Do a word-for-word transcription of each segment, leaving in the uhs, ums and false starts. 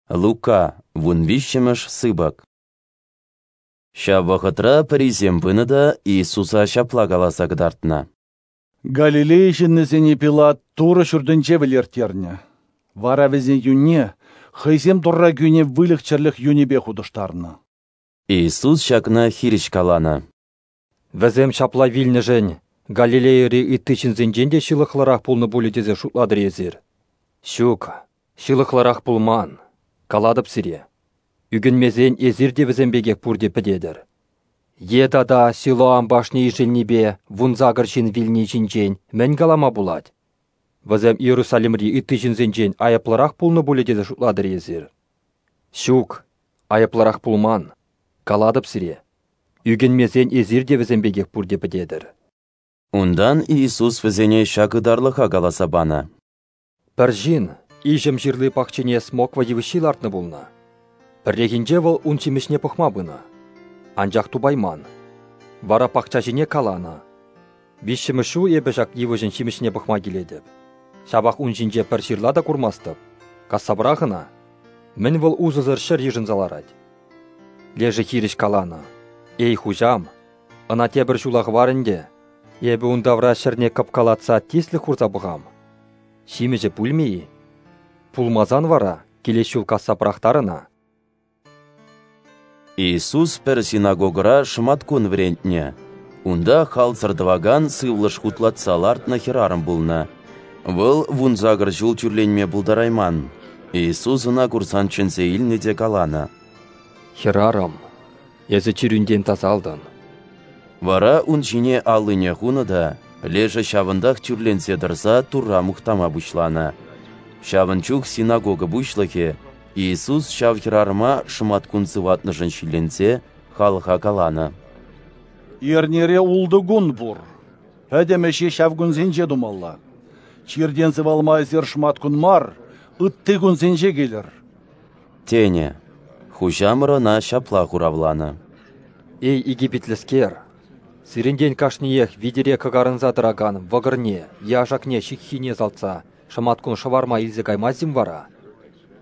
Лука, вунвиҫҫӗмӗш сыпӑк. Ҫав вӑхӑтра пӗрисем пынӑ та Иисуса ҫапла каласа кӑтартнӑ: Галилея ҫыннисене Пилат Турӑ ҫуртӗнче вӗлерттернӗ. Вара вӗсен юнне хӑйсем Турра кӳнӗ выльӑх-чӗрлӗх юнӗпе хутӑштарнӑ. Иисус ҫакна хирӗҫ каланӑ: Вӗсем ҫапла вилнӗшӗн Галилейӑри ытти ҫынсенчен те ҫылӑхлӑрах пулнӑ пулӗ тесе шутлатӑр-и эсир? Ҫук, ҫылӑхлӑрах пулман, калатӑп сире. Ӳкӗнмесен эсир те вӗсем пекех пурте пӗтетӗр. Е тата Силоам башни ишӗлнипе вунсакӑр ҫын вилни ҫинчен мӗн калама пулать? Вӗсем Иерусалимри ытти ҫынсенчен айӑплӑрах пулнӑ пулӗ тесе шутлатӑр-и эсир? Ҫук, айӑплӑрах пулман, калатӑп сире. Ӳкӗнмесен эсир те вӗсем пекех пурте пӗтетӗр. Унтан Иисус вӗсене ҫак ытарлӑха каласа панӑ: Пӗр ҫын иҫӗм ҫырли пахчине смоква йывӑҫҫи лартнӑ пулнӑ. Пӗррехинче вӑл ун ҫимӗҫне пӑхма пынӑ, анчах тупайман. Вара пахчаҫине каланӑ: «Виҫҫӗмӗш ҫул эпӗ ҫак йывӑҫӑн ҫимӗҫне пӑхма килетӗп. Ҫапах ун ҫинче пӗр ҫырла та курмастӑп. Касса пӑрах ӑна. Мӗн вӑл усӑсӑр ҫӗр йышӑнса ларать?» Лешӗ хирӗҫ каланӑ: «Эй, хуҫам, ӑна тепӗр ҫула хӑвар ӗнтӗ. Эпӗ ун тавра ҫӗрне кӑпкалатса тислӗк хурса пӑхам. Ҫимӗҫӗ пулмӗ-и? Пулмасан вара килес ҫул касса пӑрахтар ӑна». Иисус пӗр синагогӑра шӑматкун вӗрентнӗ. Унта халсӑр тӑвакан сывлӑш хутлатса лартнӑ хӗрарӑм пулнӑ. Вӑл вунсакӑр ҫул тӳрленме пултарайман. Иисус ӑна курсан чӗнсе илнӗ те каланӑ: «Хӗрарӑм, эсӗ чирӳнтен тасалтӑн». Вара ун ҫине аллине хунӑ та, лешӗ ҫавӑнтах тӳрленсе тӑрса Турра мухтама пуҫланӑ. Ҫавӑн чух синагога пуҫлӑхӗ Иисус ҫав хӗрарӑма шӑматкун сыватнӑшӑн ҫилленсе халӑха каланӑ: Эрнере ултӑ кун пур. Пӗтӗм ӗҫе ҫав кунсенче тумалла. Чиртен сывалма эсир шӑматкун мар, ытти кунсенче килӗр», тенӗ. Хуҫамӑр ӑна ҫапла хуравланӑ: «Эй, икӗпитлӗскер, сирӗнтен кашниех витере кӑкарӑнса тӑракан вӑкӑрне е ашакне ҫыххине салтса шӑматкун шӑварма илсе каймасть-им вара?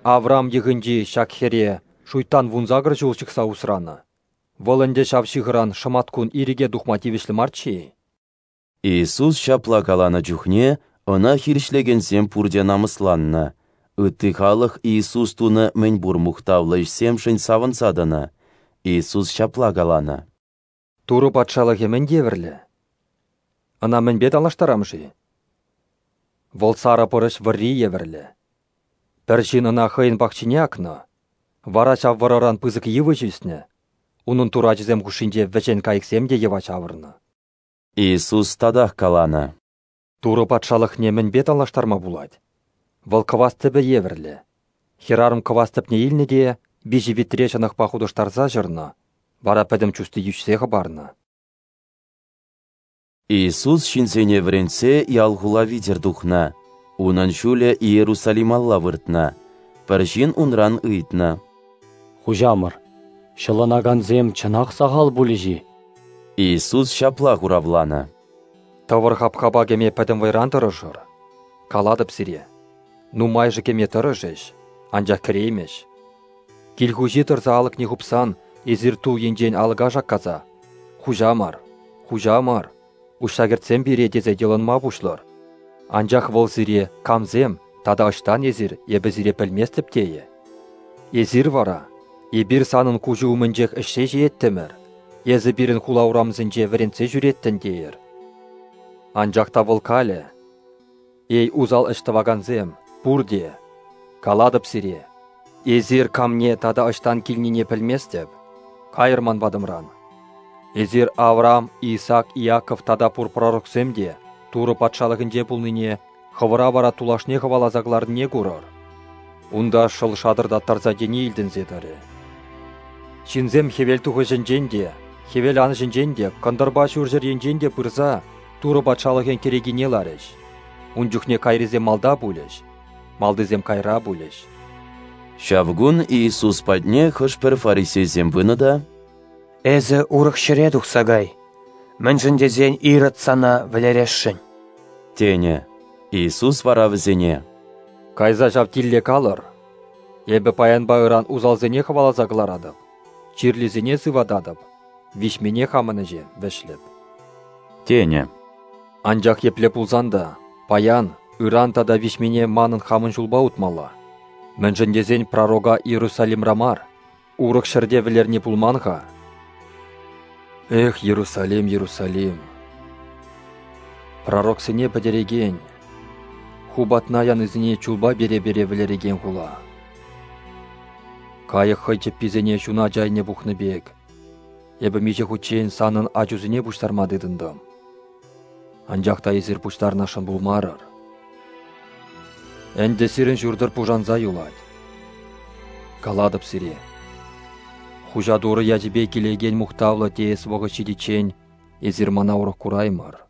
Авраам йӑхӗнчи ҫак хӗре шуйттан вунсакӑр ҫул ҫыхса усранӑ. Вӑл ӗнтӗ ҫав ҫыхӑран шӑматкун ирӗке тухма тивӗҫлӗ марччӗ-и?» Иисус ҫапла каланӑ чухне ӑна хирӗҫлекенсем пурте намӑсланнӑ. Ытти халӑх Иисус тунӑ мӗнпур мухтавлӑ ӗҫсемшӗн савӑнса тӑнӑ. Иисус ҫапла каланӑ: Турӑ патшалӑхӗ мӗн евӗрлӗ? Ӑна мӗнпе танлаштарам-ши? Вӑл сарӑ пӑрӑҫ вӑрри евӗрлӗ. Пӗр ҫын ӑна хӑйӗн пахчине акнӑ, вара ҫав вӑрӑран пысӑк йывӑҫ ӳснӗ, унӑн турачӗсем хушшинче вӗҫен кайӑксем те йӑва ҫавӑрнӑ. Иисус татах каланӑ: Турӑ патшалӑхне мӗнпе танлаштарма пулать? Вӑл кӑвас тӗпӗ евӗрлӗ. Хӗрарӑм кӑвас тӗпне илнӗ те виҫӗ витре ҫӑнӑхпа хутӑштарса ҫӑрнӑ, вара пӗтӗм чусти йӳҫсе хӑпарнӑ. Иисус ҫынсене вӗрентсе ял-хула витӗр тухнӑ. Унӑн ҫулӗ Иерусалималла выртнӑ. Пӗр ҫын унран ыйтнӑ: «Хуҫамӑр, ҫӑлӑнакансем чӑнах сахал пулӗҫ-и?» Иисус ҫапла хуравланӑ: Тӑвӑр хапхапа кӗме пӗтӗм вӑйран тӑрӑшӑр. Калатӑп сире, нумайӑшӗ кӗме тӑрӑшӗҫ, анчах кӗреймӗҫ. Кил хуҫи тӑрса алӑкне хупсан эсир тул енчен алӑка шаккаса: «Хуҫамӑр, хуҫамӑр, уҫса кӗртсем пире», тесе йӑлӑнма пуҫлӑр. Анчах вӑл сире: «Камсем тата ӑҫтан эсир, эпӗ сире пӗлместӗп», тейӗ. Эсир вара: «Эпир санӑн куҫу умӗнчех ӗҫсе ҫиеттӗмӗр, эсӗ пирӗн хула урамсенче вӗрентсе ҫӳреттӗн», тейӗр. Анчах та вӑл калӗ: «Эй, усал ӗҫ тӑвакансем, пурте, калатӑп сире, эсир камне тата ӑҫтан килнине пӗлместӗп, кайӑр ман патӑмран. Эсир Авраам, Исаак, Иаков тата пур пророксем те Турӑ патшалӑхӗнче пулнине, хӑвӑра вара тулашне хӑваласа кӑларнине курӑр. Унта шӑл шатӑртаттарса тени илтӗнсе тӑрӗ». Ҫынсем хӗвел тухӑҫӗнчен те, хӗвел анӑҫӗнчен те, кӑнтӑрпа ҫурҫӗр енчен те пырса Турӑ патшалӑхӗн кӗрекине ларӗҫ. Ун чухне кайрисем малта пулӗҫ, малтисем кайра пулӗҫ. Ҫав кун Иисус патне хӑш-пӗр фарисейсем пынӑ та: «Эсӗ урӑх ҫӗре тухса кай, мӗншӗн тесен Ирод сана вӗлересшӗн», тенӗ. Иисус вара вӗсене: «Кайса ҫав тилле калӑр: Эпӗ паянпа ыран усалсене хӑваласа кӑларатӑп, чирлисене сывататӑп, виҫмине хамӑн ӗҫе вӗҫлӗп. Тенӗ. Анчах епле пулсан та паян, ыран тата виҫмине манӑн хамӑн ҫулпа утмалла. Мӗншӗн тесен пророка Иерусалимра мар, урӑх ҫӗрте вӗлерни пулман-ха. Эх, Иерусалим, Иерусалим! Пророксене пӗтерекен, ху патна янисене чулпа пере-пере вӗлерекен хула. Кайӑк хӑй чӗпписене ҫуначӗ айне пухнӑ пек, эпӗ миҫе хутчен санӑн ачусене пуҫтарма тытӑнтӑм. Анчах та эсир пуҫтарнӑшӑн пулмарӑр. Ӗнтӗ сирӗн ҫуртӑр пушанса юлать. Калатӑп сире, Хуҫа Турӑ ячӗпе килекен мухтавлӑ теес вӑхӑт ҫитиччен эсир мана урӑх кураймӑр.